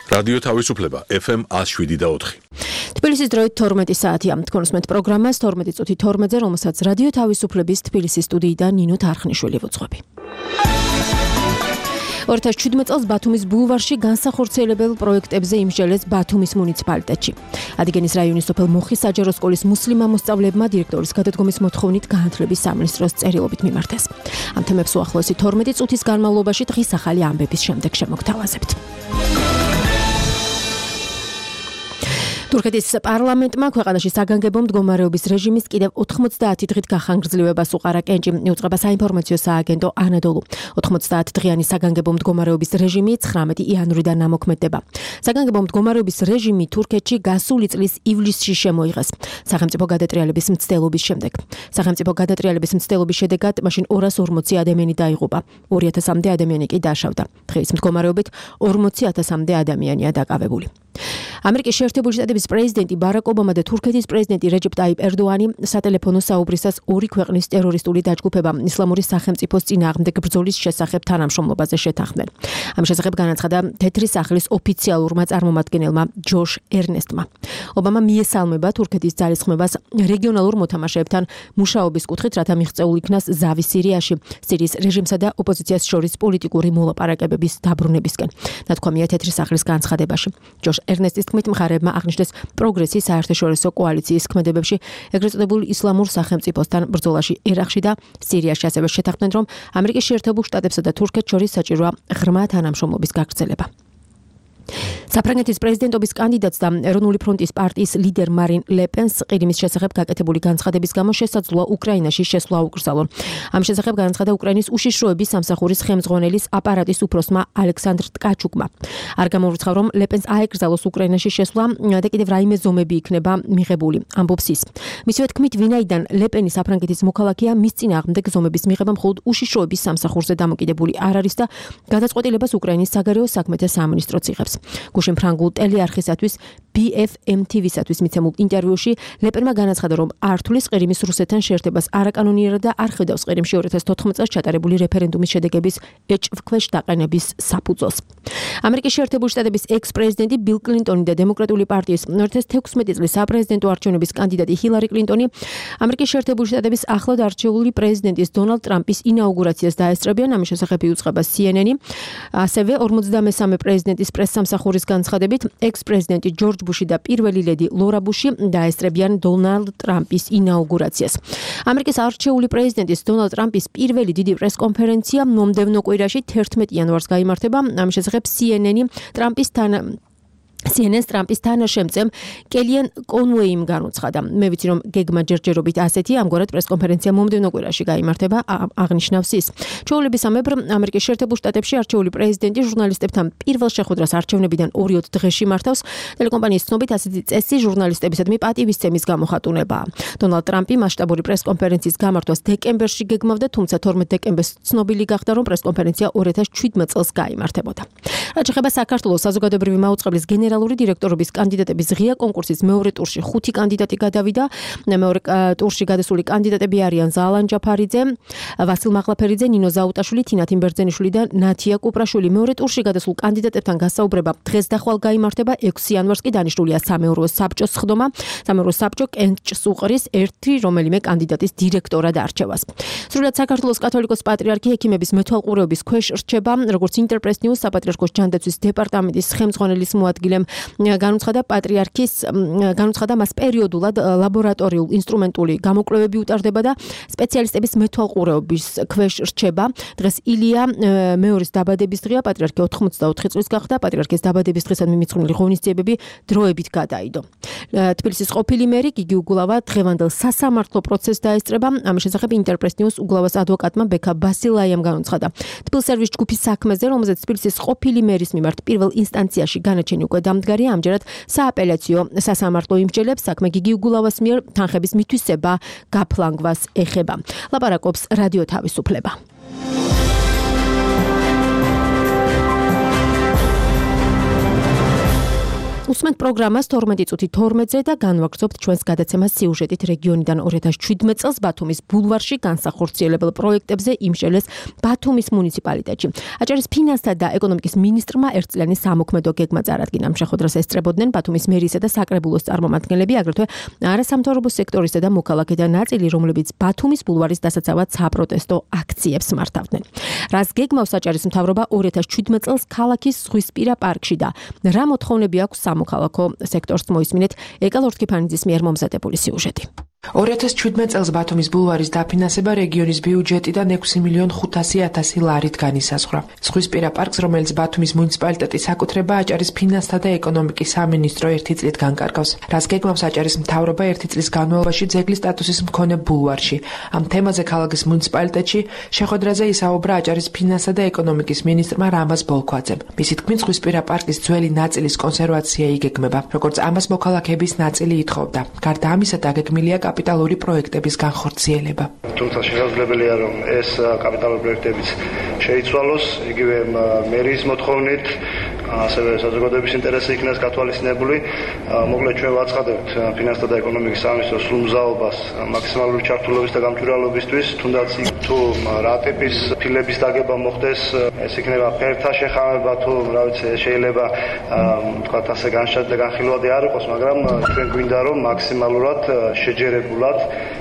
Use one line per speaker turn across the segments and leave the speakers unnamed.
რადიო თავისუფლება FM 107.4.
თბილისის დროით 12 საათია. თქვენსმენთ პროგრამას 12 წუთი 12-ზე, რომელსაც რადიო თავისუფლების თბილისის სტუდიიდან ნინო თარხნიშვილი ვუძღვები. 2017 წელს ბათუმის ბულვარში განსახორციელებელ პროექტებზე იმსჯელეს ბათუმის მუნიციპალიტეტში. ადიგენის რაიონის სოფელ მოხის საჯარო სკოლის მუსლიმ მოსწავლეებმა დირექტორის გადადგომის მოთხოვნით განათლების სამინისტროს წერილობით მიმართეს. ამ თემებს უახლოესი 12 წუთის განმავლობაში დღის ახალი ამბების შემდეგ შემოგთავაზებთ. თურქეთის პარლამენტმა ქვეყანაში საგანგებო მდგომარეობის რეჟიმის კიდევ 90 დღით გახანგრძლივებას უყარა კენჭი, იუწყება საინფორმაციო სააგენტო ანადოლუ. 90 დღიანი საგანგებო მდგომარეობის რეჟიმი 19 იანვრიდან ამოქმედდება. საგანგებო მდგომარეობის რეჟიმი თურქეთში გასული წლის ივლისში შემოიღეს სახელმწიფო გადატრიალების მცდელობის შემდეგ. სახელმწიფო გადატრიალების მცდელობის შედეგად მაშინ 240 ადამიანი დაიღუპა, 2000-მდე ადამიანი კი დაშავდა. დღის მდგომარეობით 40,000-მდე ადამიანია დაკავებული. ამერიკის შეერთებული შტატების პრეზიდენტი ბარაკ ობამა და თურქეთის პრეზიდენტი რეჯეპ ტაიპ ერდოანი სატელეფონო საუბრისას ორი ქვეყნის ტერორისტული დაჯგუფება ისლამური სახელმწიფოს წინააღმდეგ ბრძოლის შესახებ თანამშრომლობაზე შეთანხმდნენ. ამ შესახებ განაცხადა თეთრი სახლის ოფიციალურმა წარმომადგენელმა ჯოშ ერნესტმა. ობამა მიესალმება თურქეთის ძალისხმევას რეგიონალურ მოთამაშეებთან მუშაობის კუთხით, რათა მიღწეულ იქნას ზავი სირიაში, სირიის რეჟიმსა და ოპოზიციას შორის პოლიტიკური მოლაპარაკებების დაბრუნებისკენ. ნათქვამია თეთრი სახლის განცხადებაში. ჯოშ ერნესტის თქმით, მხარეებმა აღნიშნეს პროგრესი საერთაშორისო კოალიციის ქმედებებში ეგრეთ წოდებულ ისლამურ სახელმწიფოსთან ბრძოლაში ერაყში და სირიაში, ასევე შეთანხმდნენ, რომ ამერიკის შეერთებულ შტატებსა და თურქეთს შორის საჭიროა ღრმა თანამშრომლობის გაგრძელება. საფრანგეთის პრეზიდენტობის კანდიდატს და ეროვნული ფრონტის პარტიის ლიდერ მარინ ლე პენს ყირიმის შესახებ გაკეთებული განცხადების გამო შესაძლოა უკრაინაში შესვლა აუკრძალონ. ამ შესახებ განაცხადა უკრაინის უშიშროების სამსახურის ხელმძღვანელის აპარატის უფროსმა ალექსანდრ ტკაჩუკმა. არ გამოვრიცხა, რომ ლე პენს აეკრძალოს უკრაინაში შესვლა და კიდევ რაიმე ზომები იქნება მიღებული, ამბობს ის. მისივე თქმით, ვინაიდან ლე პენი საფრანგეთის მოქალაქეა, მის წინააღმდეგ ზომების მიღება მხოლოდ უშიშროების სამსახურზე დამოკიდებული არ არის და გადაწყვეტილებას უკრაინის საგარეო საქმეთა სამინისტროც იღებს. გუშინ ფრანგულ ტელეარხისათვის BFM-TV-სათვის მიცემულ ინტერვიუში ლე პენმა განაცხადა, რომ არ თulis ყირიმის რუსეთთან შეერთებას არაკანონიერად და არ ხედავს ყირიმში 2014 წელს ჩატარებული რეფერენდუმის შედეგების ეჭვქვეშ დაყენების საფუძველს. ამერიკის შეერთებული შტატების ექს-პრეზიდენტი ბილ კლინტონი და დემოკრატიული პარტიის 2016 წლის საპრეზიდენტო არჩევნების კანდიდატი ჰილარი კლინტონი ამერიკის შეერთებული შტატების ახლად არჩეული პრეზიდენტის დონალდ ტრამპის ინაუგურაციას დაესწრებიან. ამის შესახებ იუწყება CNN-ი. ასევე 53 პრეზიდენტის პრესსამსახურის განცხადებით ექს-პრეზიდენტი ჯორჯ ბუში და პირველი ლედი ლორა ბუში დაესწრებიან დონალდ ტრამპის ინაუგურაციას. ამერიკის არჩეული პრეზიდენტის დონალდ ტრამპის პირველი დიდი პრესკონფერენცია მომდევნო კვირაში 11 იანვარს გაიმართება. ამის შესახებ CNN-ს ტრამპის თანაშემწემ კელიან კონუეიმ განუცხადა. მე ვიცი, რომ გეგმა ჯერჯერობით ასეთი, ამგვარად პრესკონფერენცია მომდევნო კვირაში გაიმართება, აღნიშნავს ის. ჩვეულებისამებრ, ამერიკის შეერთებულ შტატებში არჩეული პრეზიდენტი ჟურნალისტებთან პირველ შეხვედრას არჩევნებიდან 2 დღეში მართავს. ტელეკომპანიის ცნობით, ასეთი წესი ჟურნალისტებისადმი პატივისცემის გამოხატულებაა. დონალდ ტრამპი მასშტაბური პრესკონფერენციის გამართვას დეკემბერში გეგმავდა, თუმცა 12 დეკემბერს ცნობილი გახდა, რომ პრესკონფერენცია 2017 წელს გაიმართებოდა. რაც შეეხება საქართველოს საზოგადოებრივი მაუწყებლის გენერალური დირექტორობის კანდიდატების ღია კონკურსის მეორე ტურში 5 კანდიდატი გადავიდა. მეორე ტურში გადასული კანდიდატები არიან ზალან ჯაფარიძე, ვასილ მაღლაფერიძე, ნინო ზაუტაშვილი, თინა თიმბერძენიშვილი და ნათია კუპრაშვილი. მეორე ტურში გადასულ კანდიდატებთან გასაუბრება დღეს და ხვალ გაიმართება. 6 იანვარს კი დანიშნულია სამეურვო საბჭოს სხდომა. სამეურვო საბჭო კენჭს უყრის ერთი რომელიმე კანდიდატის დირექტორად არჩევას. სრულად საქართველოს კათოლიკოს პატრიარქი ექიმების მეთვალყურეობის ქვეშ რჩება, როგორც ინტერპრეს ნიუს საპატრიარქოს ჯანდაცვის დეპარტამენტის ხელმძღვანელის მოადგილემ განუცხადა მას პერიოდულად ლაბორატორიულ ინსტრუმენტული გამოკვლევები უტარდება და სპეციალისტების მეთვალყურეობის ქვეშ რჩება. დღეს ილია მეორის დაბადების დღეა, პატრიარქი 84 წლის გახდა, პატრიარქის დაბადების დღესად მიმიწყნული ღონისძიებები დროებით გადაიდო. თბილისის ყოფილი მერი გიგი უგულავა დღევანდელ სასამართლო პროცესს დაესწრება. ამის შესახებ ინტერპრეს ნიუს უგულავას ადვოკატმა ბექა ბასილაიამ განუცხადა. თბილსერვის ჯგუფის საქმეზე, რომელზეც თბილისის ყოფილი მერის მიმართ პირველ ინსტანციაში განაჩენი უკვე დამდგარია, ამჯერად სააპელაციო სასამართლო იმსჯელებს საქმე გიგი უგულავას მიერ თანხების მითვისება გაფლანგვას ეხება. ლაპარაკობს რადიო თავისუფლება. უსმენთ პროგრამას 12 წუთი 12-ზე და განვაგრძობთ ჩვენს გადაცემას სიუჟეტით რეგიონიდან 2017 წელს ბათუმის ბულვარში განსახორციელებელ პროექტებზე იმშელეს ბათუმის მუნიციპალიტეტში. აჭარის ფინანსთა და ეკონომიკის მინისტრმა ერთწლიანი სამოქმედო გეგმა წარადგინა. შეხვედრას ესწრებოდნენ ბათუმის მერიისა და საკრებულოს წარმომადგენლები, აგრეთვე არასამთავრობო სექტორისა და მოქალაქეთა ნაწილი, რომლებიც ბათუმის ბულვარის დასაცავად საპროტესტო აქციებს მართავდნენ. რას გეგმავს აჭარის მთავრობა 2017 წელს ქალაქის ზღვისპირა პარკში და რა მოთხოვნები აქვს სამოქალაქო სექტორს, მოისმინეთ ეკა ლორთქიფანიძის მიერ მომზადებული სიუჟეტი.
2017 წელს ბათუმის ბულვარის დაფინანსება რეგიონის ბიუჯეტიდან 6.500.000 ლარით განისაზღვრა. ზღვისპირა პარკს, რომელიც ბათუმის მუნიციპალიტეტის საკუთრება, აჭარის ფინანსთა და ეკონომიკის სამინისტრო ერთი წლით განკარგავს. რას გეგმავს აჭარის მთავრობა ერთი წლის განმავლობაში ძეგლის სტატუსის მქონე ბულვარში. ამ თემაზე ქალაქის მუნიციპალიტეტში შეხვედრაზე ისაუბრა აჭარის ფინანსთა და ეკონომიკის მინისტრმა რამაზ ბოლქვაძემ. მისი თქმით, ზღვისპირა პარკის ძველი ნაწილის კონსერვაცია იგეგმება, როგორც ამას მოქალაქეების ნაწილი ითხოვდა. გარდა ამისა, დაგეგმილია კაპიტალური პროექტების განხორციელება.
თუმცა შესაძლებელია, რომ ეს კაპიტალური პროექტებიც შეიცვალოს, იგივე მერიის მოთხოვნით, ასევე საზოგადოების ინტერესი იქნას გათვალისწინებული. მოკლედ ჩვენ ვაცხადებთ ფინანსთა და ეკონომიკის სამინისტროს სრულ მზაობას მაქსიმალური ჩართულობის და გამჭვირვალობისთვის, თუნდაც თუ რა ტიპის ფილების დაგება მოხდეს, ეს იქნება ფერთა შეხამება თუ რა ვიცი, შეიძლება თქვათ ასე განხილვადი არ იყოს, მაგრამ ჩვენ გვინდა რომ მაქსიმალურად შეჯერებულად,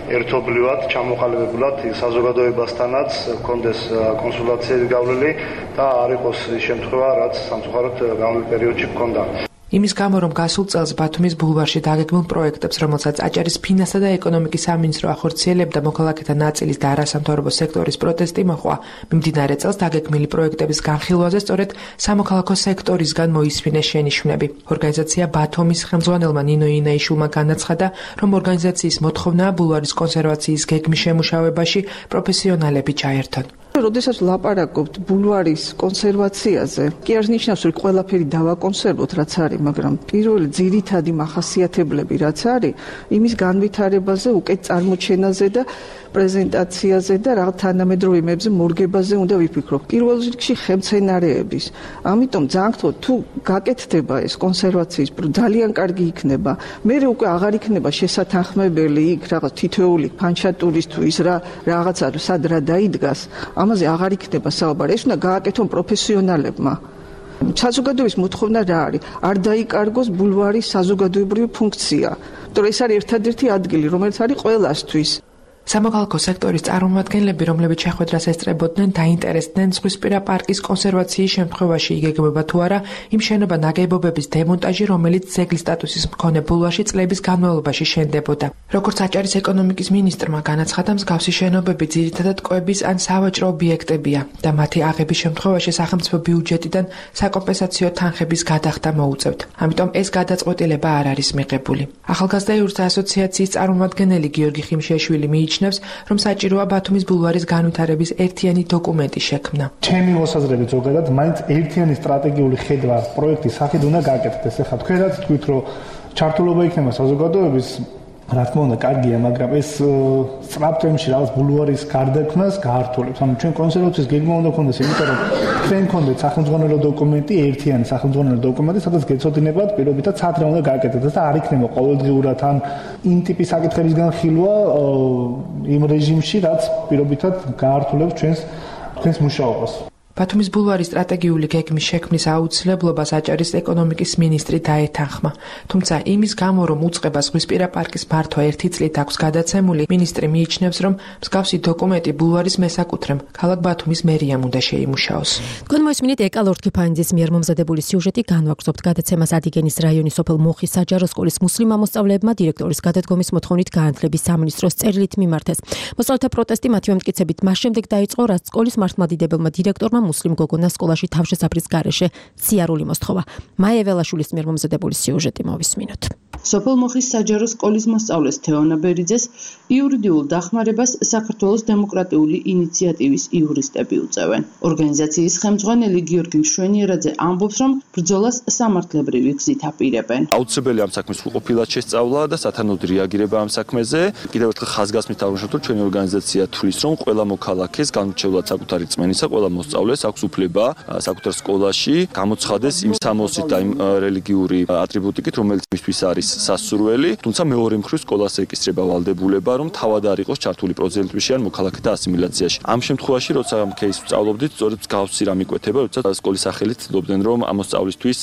ერთობლივად, ჩამოყალიბებულად საზოგადოებასთანაც გქონდეს კონსულტაციების გავლილი და არ იყოს ის შემთხვევა, რაც სამწუხაროდ გამოვლენილ პერიოდში გქონდა.
იმის გამო, რომ გასულ წელს ბათუმის ბულვარში დაგეგმილ პროექტებს, რომელსაც აჭარის ფინანსთა და ეკონომიკის სამინისტრო ახორციელებდა, მოქალაქეთა ნაწილის და არასამთავრობო სექტორის პროტესტი მოყვა. მიმდინარე წელს დაგეგმილი პროექტების განხილვაზე სწორედ სამოქალაქო სექტორისგან მოისმინეს შენიშვნები. ორგანიზაცია ბათუმის ხელმძღვანელმა ნინო ინაიშვილმა განაცხადა, რომ ორგანიზაციის მოთხოვნაა ბულვარის კონსერვაციის გეგმის შემუშავებაში პროფესიონალები ჩაერთონ.
როდესაც ვლაპარაკობთ ბულვარის კონსერვაციაზე, კი არ ნიშნავს, რომ ყველაფერი დავაკონსერვოთ, რაც არის, მაგრამ პირველი ძირითადი მახასიათებლები, რაც არის, იმის განვითარებაზე, უკეთ წარმოჩენაზე და პრეზენტაციაზე და რა თანამედროვე იმებზე მორგებაზე უნდა ვიფიქროთ. პირველ რიგში ხელმცენარეების. ამიტომ ძანქთო თუ გაკეთდება ეს კონსერვაციის ძალიან კარგი იქნება. მერე უკვე აღარ იქნება შესათანხმებელი იქ რაღაც თითოეული ფანჩატურის თუ ის რაღაცა სად რა დაიდგას. ამაზე აღარ იქნება საუბარი. ეს უნდა გააკეთონ პროფესიონალებმა. საზოგადოების მოთხოვნა რა არის? არ დაიკარგოს ბულვარის საზოგადოებრივი ფუნქცია. თორე ეს არის ერთადერთი ადგილი, რომელიც არის ყველასთვის.
სამოქალაქო სექტორის წარმომადგენლები, რომლებიც შეხვედრას ესწრებოდნენ, დაინტერესდნენ ზღვისპირა პარკის კონსერვაციის შემთხვევაში იგეგმება თუ არა იმ შენობა ნაგებობების დემონტაჟი, რომელიც ძეგლის სტატუსის მქონე ბულვარში წლების განმავლობაში შენდებოდა. როგორც აჭარის ეკონომიკის მინისტრმა განაცხადა, მსგავსი შენობები ძირითადად კვების ან სავაჭრო ობიექტებია და მათი აღების შემთხვევაში სახელმწიფო ბიუჯეტიდან საკომპენსაციო თანხების გადახდა მოუწევთ. ამიტომ ეს გადაწყვეტილება არ არის მიღებული. ახალგაზრდა იურისტთა ასოციაციის წარმომადგენელი გიორგი ხიმშიაშვილი მიიჩნევს, რომ საჭიროა ბათუმის ბულვარის განვითარების ერთიანი დოკუმენტი შექმნა.
ჩემი მოსაზრებით ზოგადად მაინც ერთიანი სტრატეგიული ხედვა პროექტის სახით უნდა გაკეთდეს. ეხლა თქვენ რაც თქვით, რომ ჩართულობა იქნება საზოგადოების, რა თქმა უნდა, კარგია, მაგრამ ეს სწრაფ ტემპში რაღაც ბულვარის გარდაქმნას გაართულებს. ანუ ჩვენ კონსერვაციის გეგმა უნდა ქონდეს, იმიტომ რომ თქვენ გქონდეთ სახელმძღვანელო დოკუმენტი, ერთიანი სახელმძღვანელო დოკუმენტი, სადაც გეცოდინებათ პირობითად სად რა უნდა გააკეთდეს და არ იქნება ყოველდღიურად ან იმ ტიპის საკითხების განხილვა იმ რეჟიმში, რაც პირობითად გაართულებს ჩვენს მუშაობას.
ბათუმის ბულვარის სტრატეგიული გეგმის შექმნის აუცილებლობას აჭარის ეკონომიკის მინისტრი დაეთანხმა. თუმცა იმის გამო, რომ უწყება ზღვისპირა პარკის მართვა ერთი წლით აქვს გადაცემული, მინისტრი მიიჩნევს, რომ მსგავსი დოკუმენტი ბულვარის მესაკუთრემ ქალაქ ბათუმის მერიამ უნდა შეიმუშაოს.
თქვენ მოისმინეთ ეკა ლორთქიფანიძის მიერ მომზადებული სიუჟეტი. განვაგრძობთ გადაცემას ადიგენის რაიონის სოფელ მოხის საჯარო სკოლის მუსლიმ მოსწავლეებმა დირექტორის გადადგომის მოთხოვნით განათლების სამინისტროს წერილით მიმართეს. მოსწავლეთა პროტესტი მათივე მტკიცებით მას შემდეგ დაიწყო, რაც სკოლის მართლმადიდებელმა დირექტორმა მუსლიმ გოგონას სკოლაში თავშესაფრის გარეშე სიარული მოსთხოვა. მაია ველაშვილის მიერ მომზადებული სიუჟეტი მოვისმინოთ.
სოფელ მოხის საჯარო სკოლის მოსწავლეს თეონა ბერიძეს იურიდიულ დახმარებას საქართველოს დემოკრატიული ინიციატივის იურისტები უწევენ. ორგანიზაციის ხელმძღვანელი გიორგი მშვენიერაძე ამბობს, რომ ბრძოლას სამართლებრივი გზით აპირებენ.
აუცილებელი ამ საქმის სრულყოფილად შესწავლა და სათანადო რეაგირება ამ საქმეზე. კიდევ ერთხელ ხაზგასმით აღვნიშნოთ, რომ ჩვენი ორგანიზაცია თვლის, რომ ყველა მოქალაქეს განურჩევლად საკუთარი რწმენისა, ყველა მოსწავლეს უმრავლეს აქვს უფლება საკუთარ სკოლაში გამოცხადეს იმ სამოსით და იმ რელიგიური ატრიბუტიკით, რომელიც მისთვის არის სასურველი, თუმცა მეორე მხრივ სკოლას ეკისრება ვალდებულება, რომ თავად არ იყოს ჩართული პროცენტებში ან მოქალაქეთა ასიმილაციაში. ამ შემთხვევაში, როცა ამ кейსს ვსწავლობდით, სწორედ მსგავსი რამ იკვეთება, როცა სკოლის სახელით ცდილობდნენ, რომ ამ მოსწავლისთვის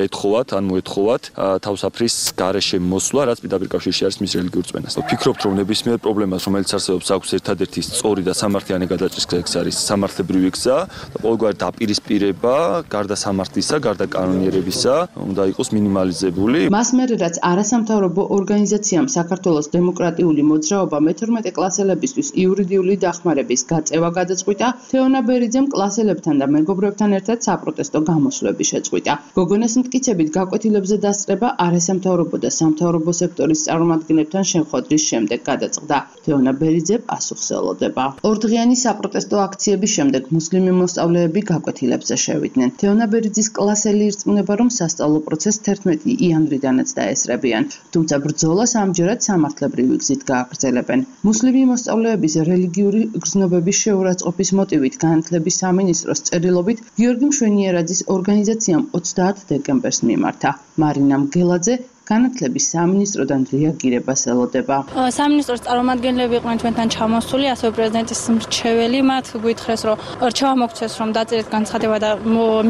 ეთხოვათ ან მოეთხოვათ თავსაფრის გარეშე მოსვლა, რაც პირდაპირ კავშირში არის მის რელიგიურ წმენას. ვფიქრობთ, რომ ნებისმიერ პრობლემას, რომელიც არსებობს, აქვს ერთადერთი სწორი და სამართლიანი გადაჭრის გზა არის სამართლებრივი გზა და ყოველგვარი დაპირისპირება, გარდა სამართლისა, გარდა კანონიერებისა, უნდა იყოს მინიმალიზებული.
მას მერე რაც არასამთავრობო ორგანიზაციამ საქართველოს დემოკრატიული მოძრაობა მე-12 კლასელებისთვის იურიდიული დახმარების გაწევა გადაწყვიტა, თეონა ბერიძემ კლასელებთან და მეგობრებთან ერთად საპროტესტო გამოსვლები შეწყვიტა. გოგონას მტკიცებით გაკვეთილებზე დასწრება არასამთავრობო და სამთავრობო სექტორის წარმომადგენლებთან შეხვედრის შემდეგ გადაწყდა. თეონა ბერიძე პასუხს ელოდება. ორდღიანი საპროტესტო აქციების შემდეგ მუსლიმი მოსწავლეები გაკვეთილებზე შევიდნენ. თეონა ბერიძის კლასელი ირწმუნება, რომ სასწავლო პროცესს 11 იანვრიდანაც დაესწრებიან, თუმცა ბრძოლას ამჯერად სამართლებრივი გზით გააგრძელებენ. მუსლიმი მოსწავლეების რელიგიური გრძნობების შეურაცხყოფის მოტივით განათლების სამინისტროს წერილობით გიორგი მშვენიერაძის ორგანიზაციამ 30 დეკემბერს მიმართა. მარინა მგელაძე განათლების სამინისტროდან რეაგირებას ელოდება.
სამინისტროს წარმომადგენლები იყვნენ ჩვენთან ჩამოსული, ასევე პრეზიდენტის მრჩეველი, მათ გვითხრეს, რომ რჩევა მოგცეს, რომ დაწერეთ განცხადება და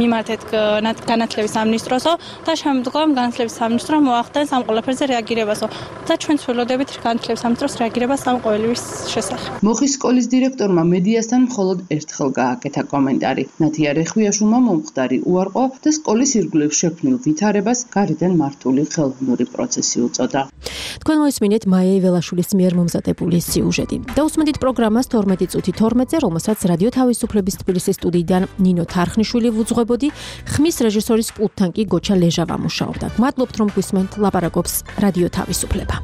მიმართეთ განათლების სამინისტროსო და შემდგომ განათლების სამინისტრო მოახდენს ამ ყველაფერზე რეაგირებასო და ჩვენ ვცდილობდებით განათლების სამინისტროს რეაგირებას ამ ყოველივის შესახებ.
მოხის სკოლის დირექტორმა მედიასთან მხოლოდ ერთხელ გააკეთა კომენტარი. ნათია რეხვიაშვილმა მომხდარი უარყო და სკოლის ირგვლივ შექმნილ ვითარებას გარედან მართული ხელოვნური პროცესი უწოდა.
თქვენ მოისმინეთ მაია ველაშვილის მიერ მომზადებული სიუჟეტი. დაუსმენთ პროგრამას 12 წუთი 12-ზე, რომელსაც რადიო თავისუფლების თბილისის სტუდიიდან ნინო თარხნიშვილი ვუძღვებოდი, ხმის რეჟისორის პულტთან კი გოჩა ლეჟავა მუშაობდა. მადლობთ რომ გვისმენთ, ლაპარაკობს რადიო თავისუფლება.